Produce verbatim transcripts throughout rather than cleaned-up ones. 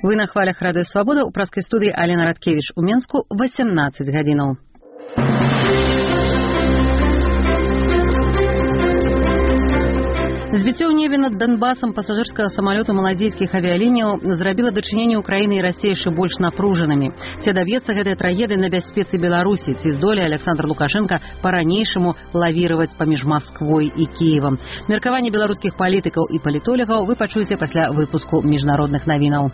Вы на хвалях Радыё Свабода, у праскай студыі Алена Радкевіч, у Менску восемнадцать гадзінаў. Збіццё ў небе над Донбасам пасажырскага самалёта малазійскіх авіялініяў зрабіла дачыненне Украіны і Расіі яшчэ больш напружанымі. Ці даб'ецца гэтая трагедыя на бяспецы Беларусі, ці здолее Александр Лукашенко па-ранейшаму лавіраваць паміж Масквой і Кіевам. Меркаванне беларускіх палітыкаў і палітолягаў вы пачуеце пасля выпуску міжнародных навінаў.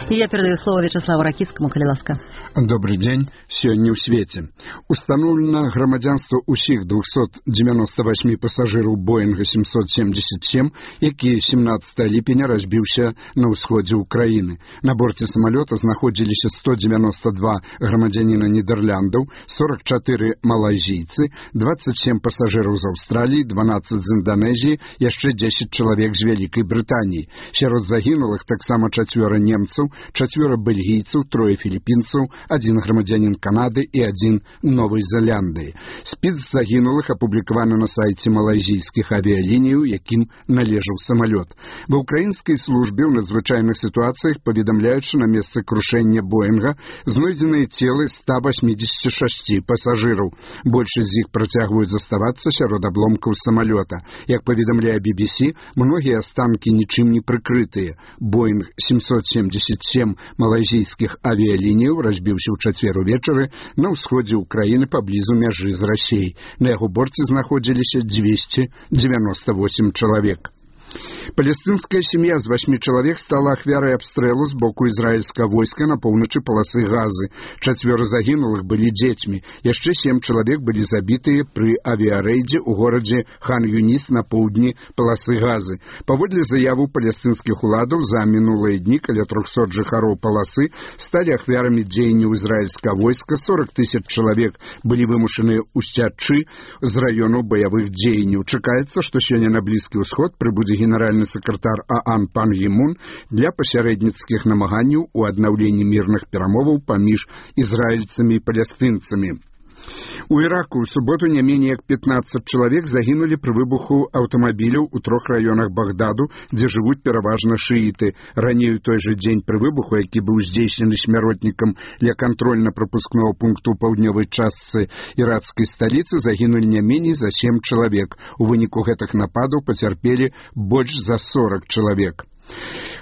И я передаю слово Вячеславу Ракицкому, калі ласка. Добрый день. Сёння ў свеце. Установлено грамадзянство усіх двухсот девяноста восьми пассажираў Боинга семьсот семьдесят семь, які семнадцатого ліпеня разбіўся на ўсходзе Украины. На борце самолета знаходзіліся сто девяносто два грамадзяніна Нідерландаў, сорок четыре малайзійцы, двадцать семь пассажираў з Аўстраліі, дванадцать з Индонезии, яшчэ десять чалавек з Вялікай Брытаніі. Сярод загінулых таксама чацвёра немцаў, чацвёра бельгійцаў, трое філіппінцаў, один грамадзянин Канады и один Новой Зеландии. Спіс загінулых апублікаваны на сайце малайзійскіх авіялініяў, якім належаў самолет. Ва украінскай службе ў надзвычайных ситуациях паведамляюць, што на месцы крушэння Боинга знойдзеныя целы ста восьмидесяти шести пассажираў. Большасць з іх працягваюць заставацца сярод абломкаў самолета. Як паведамляе би би си, многія астанкі нічым не прыкрытыя. Боинг семьсот семьдесят семь малайзійскіх авіялініяў разбіўся ў чацвер увечары на ўсходзе Украіны паблізу мяжы з Расіяй. На яго борце знаходзіліся двести девяносто восемь чалавек. Палестинская семья з восьми человек стала ахвярай абстрэлу з боку израильского войска на поўначы полосы Газы. Чацвёра загінулых былі дзецьмі. Яшчэ семь человек былі забітыя пры авіарэйдзе ў горадзе Хан-Юніс на поўдні полосы Газы. Паводле заяву палестинскіх уладаў, за мінулыя дні каля трохсот жыхароў полосы сталі ахвярамі дзеянняў израильского войска. сорок тысяч человек былі вымушаны ўсцячы з раёнаў баявых дзеянняў. Чакаецца, што сёння на Блізкі ўсход прыбудзе генеральны сакратар ААН пан Гімун для пасярэдніцкіх намаганняў у аднаўленні мірных перамоваў паміж ізраільцамі і палестынцамі. У Ираку в субботу не менее як пятнадцать человек загинули при выбуху автомобиляў у трох районах Багдаду, где живут пераважна шииты. Ранее у той же день при выбуху, які быў здзейснены смяротнікам для контрольно-пропускного пункту ў паўднёвай частцы иракской столицы, загинули не менее за семь человек. У выніку гэтых нападаў пацярпелі больш за сорок человек.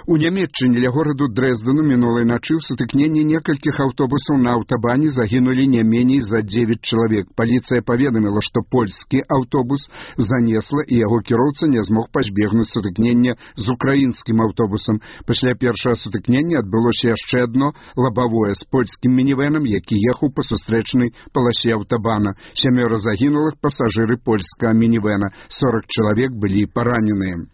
У Нямецчыне ля гораду Дрэздену мінулай начы ў сутыкненні некалькіх аўтобусаў на аўтабане загінулі не меней за девять чалавек. Паліцыя паведаміла, што польскі аўтобус занесла і яго кіроўца не змог пазбегнуць сутыкнення з украінскім аўтобусам. Пасля першага сутыкнення адбылося яшчэ адно лабавое з польскім мінівэнам, які ехаў па сустрэчнай паласе аўтабана. Сямёра загінулых пасажыры польскага мінівэна, сорок чалавек былі параненыя.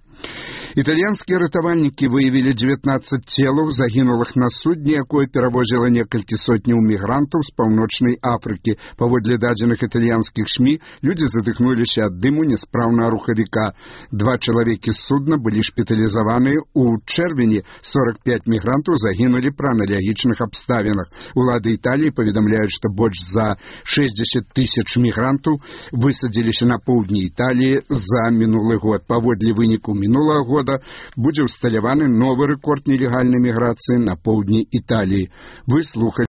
Італьянскія ратавальнікі выявілі девятнадцать целаў загінулых на судне, якое перавозіла некалькі сотняў мігрантаў з паўночнай Афрыкі. Паводле дадзеных італьянскіх СМІ, людзі задыхнуліся ад дыму няспраўнага рухавіка. Два чалавекі з судна былі шпіталізаваныя. У чэрвені сорок пять мігрантаў загінулі пры аналагічных абставінах. Улады Італіі паведамляюць, што больш за шестьдесят тысяч мігрантаў высадзіліся на поўдні Італіі за мінулы год. Паводле выніку мінулага года будзе ўсталяваны новы рэкорд нелегальнай міграцыі на поўдні Італіі. Вы слухали